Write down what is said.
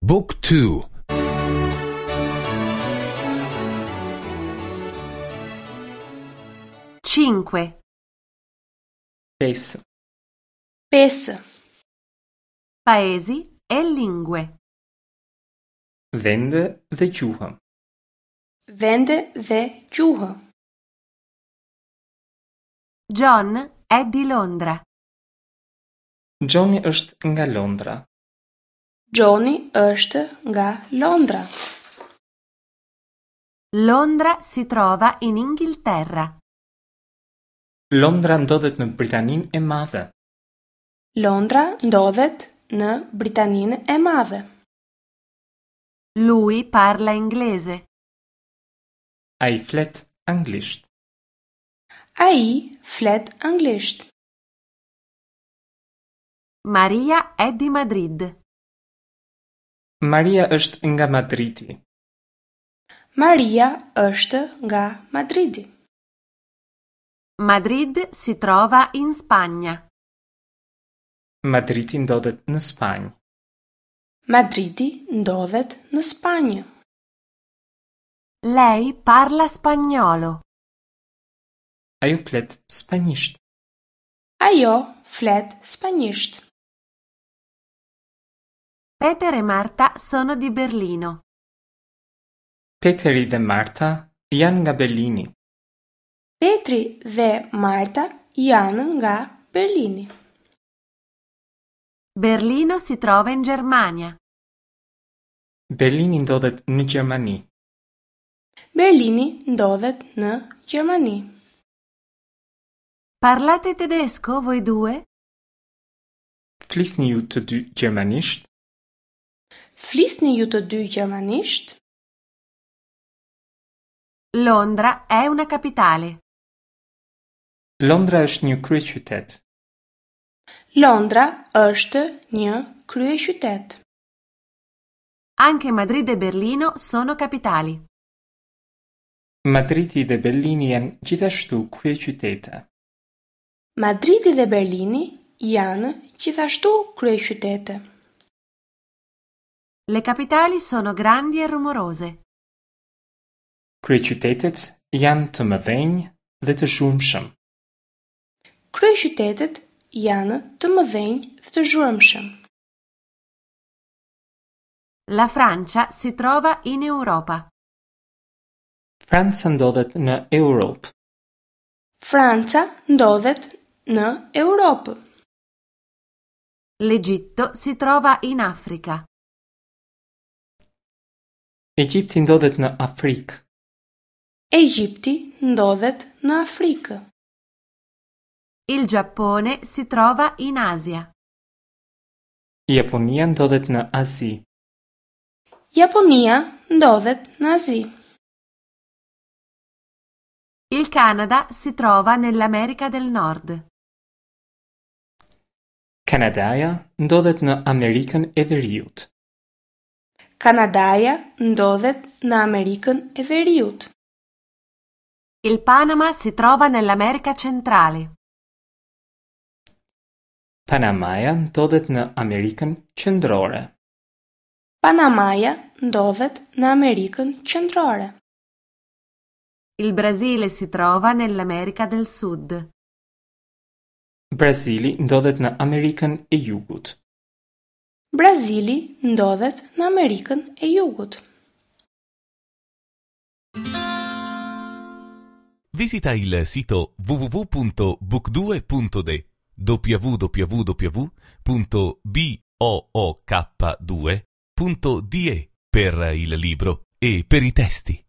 Book 2 5. 5. 5. Paesi e lingue. Vende dhe gjuhë. Vende dhe gjuhë. John è di Londra. Johni është nga Londra. Johni është nga Londra. Londra si trova in Inghilterra. Londra ndodhet në Britaninë e Madhe. Londra ndodhet në Britaninë e Madhe. Lui parla inglese. Ai flet anglisht. Ai flet anglisht. Maria è di Madrid. Maria është nga Madridi. Maria është nga Madridi. Madrid si trova in Spagna. Madridi ndodhet në Spanjë. Madridi ndodhet në Spanjë. Lei parla spagnolo. Ajo flet spanjisht. Ajo flet spanjisht. Peter e Marta sono di Berlino. Peteri dhe Marta janë nga Berlini. Petri dhe Marta janë nga Berlini. Berlino si trova in Germania. Berlini ndodhet në Gjermani. Berlini ndodhet në Gjermani. Parlate tedesco voi due? Flisni ju të dy gjermanisht? Flisni ju të dy gjermanisht? Londra è una capitale. Londra është një kryeqytet. Londra është një kryeqytet. Anche Madrid e Berlino sono capitali. Madridi dhe Berlini janë gjithashtu kryeqytete. Madridi dhe Berlini janë gjithashtu kryeqytete. Le capitali sono grandi e rumorose. Kryeqytetet janë të mëdhenj dhe të zhurmshëm. Kryeqytetet janë të mëdhenj dhe të zhurmshëm. La Francia si trova in Europa. Franca ndodhet në Europë. Franca ndodhet në Europë. L'Egitto si trova in Africa. Egjipti ndodhet në Afrikë. Egjipti ndodhet në Afrikë. Il Giappone si trova in Asia. Japonia ndodhet në Azi. Japonia ndodhet në Azi. Il Canada si trova nell'America del Nord. Kanadaja ndodhet në Amerikën e Veriut. Kanadaja ndodhet në Amerikën e Veriut. Il Panama si trova nell'America Centrale. Panamaja ndodhet në Amerikën Qendrore. Panamaja ndodhet në Amerikën Qendrore. Il Brasile si trova nell'America del Sud. Brazili ndodhet në Amerikën e Jugut. Brazili ndodhet në Amerikën e Jugut. Visita il sito www.book2.de www.book2.de per il libro e per i testi.